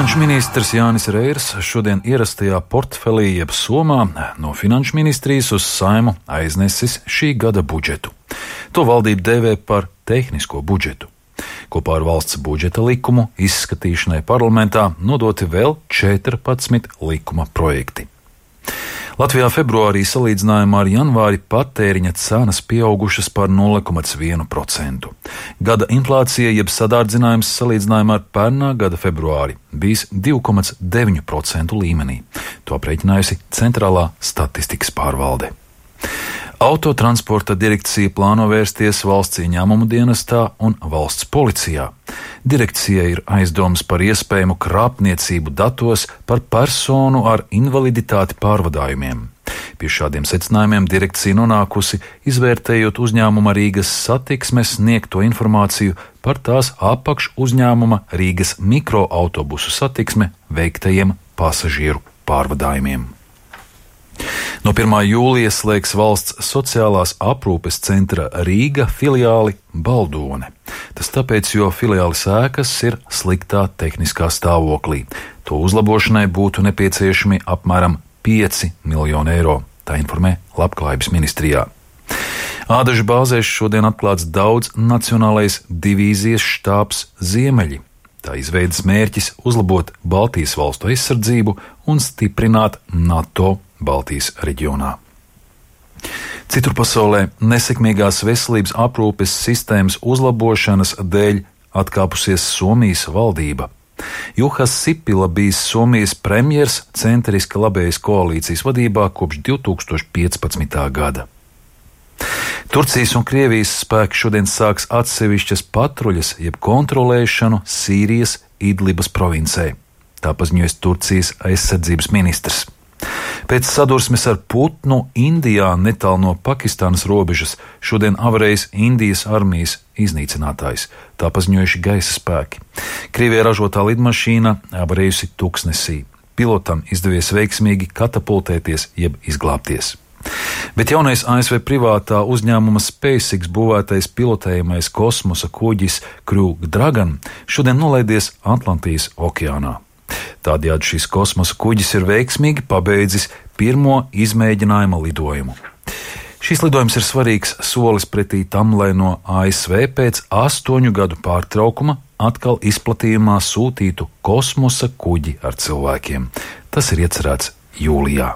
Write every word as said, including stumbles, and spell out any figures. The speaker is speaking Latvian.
Finanšu ministrs Jānis Reirs šodien ierastajā portfelī jeb somā no Finanšu ministrijas uz Saimu aiznesis šī gada budžetu. To valdība dēvē par tehnisko budžetu. Kopā ar valsts budžeta likumu izskatīšanai parlamentā nodoti vēl četrpadsmit likuma projekti. Latvijā februārī salīdzinājumā ar janvāri patēriņa cenas pieaugušas par nulle komats vienu procentu. Gada inflācija jeb sadārdzinājums salīdzinājumā ar pērnā gada februāri bijis divi komats deviņi procentu līmenī. To aprēķinājusi Centrālā statistikas pārvalde. Autotransporta direkcija plāno vērsties valsts ieņēmumu dienestā un valsts policijā. Direkcijai ir aizdomas par iespējamu krāpniecību datos par personu ar invaliditāti pārvadājumiem. Pie šādiem secinājumiem direkcija nonākusi, izvērtējot uzņēmuma Rīgas satiksmes sniegto informāciju par tās apakš uzņēmuma Rīgas mikroautobusu satiksme veiktajiem pasažieru pārvadājumiem. No pirmā jūlija slēgs valsts sociālās aprūpes centra Rīga filiāli Baldone. Tas tāpēc, jo filiāles ēkas ir sliktā tehniskā stāvoklī. To uzlabošanai būtu nepieciešami apmēram pieci miljoni eiro, tā informē Labklājības ministrijā. Ādažu bāzēs šodien atklāts daudz nacionālais divīzijas štābs Ziemeļi. Tā izveidas mērķis uzlabot Baltijas valstu aizsardzību un stiprināt NATO Baltijas reģionā. Citur pasaulē nesekmīgās veselības aprūpes sistēmas uzlabošanas dēļ atkāpusies Somijas valdība. Juhas Sipila bijis Somijas premjers centriska labējas koalīcijas vadībā kopš divi tūkstoši piecpadsmitā gada. Turcijas un Krievijas spēki šodien sāks atsevišķas patruļas jeb kontrolēšanu Sīrijas Idlibas provincē. Tā paziņoja Turcijas aizsardzības ministrs. Pēc sadursmes ar putnu Indijā netālu no Pakistānas robežas šodien avarējis Indijas armijas iznīcinātājs. Tā paziņojuši gaisa spēki. Krievijā ražotā lidmašīna avarējusi tuksnesī. Pilotam izdevies veiksmīgi katapultēties jeb izglābties. Bet jaunais A S V privātā uzņēmuma SpaceX būvētais pilotējamais kosmosa kuģis Crew Dragon šodien nolaidies Atlantijas okeānā. Tādējādi šis kosmosa kuģis ir veiksmīgi pabeidzis pirmo izmēģinājuma lidojumu. Šis lidojums ir svarīgs solis pretī tam, lai no A S V pēc astoņu gadu pārtraukuma atkal izplatījumā sūtītu kosmosa kuģi ar cilvēkiem. Tas ir iecerēts jūlijā.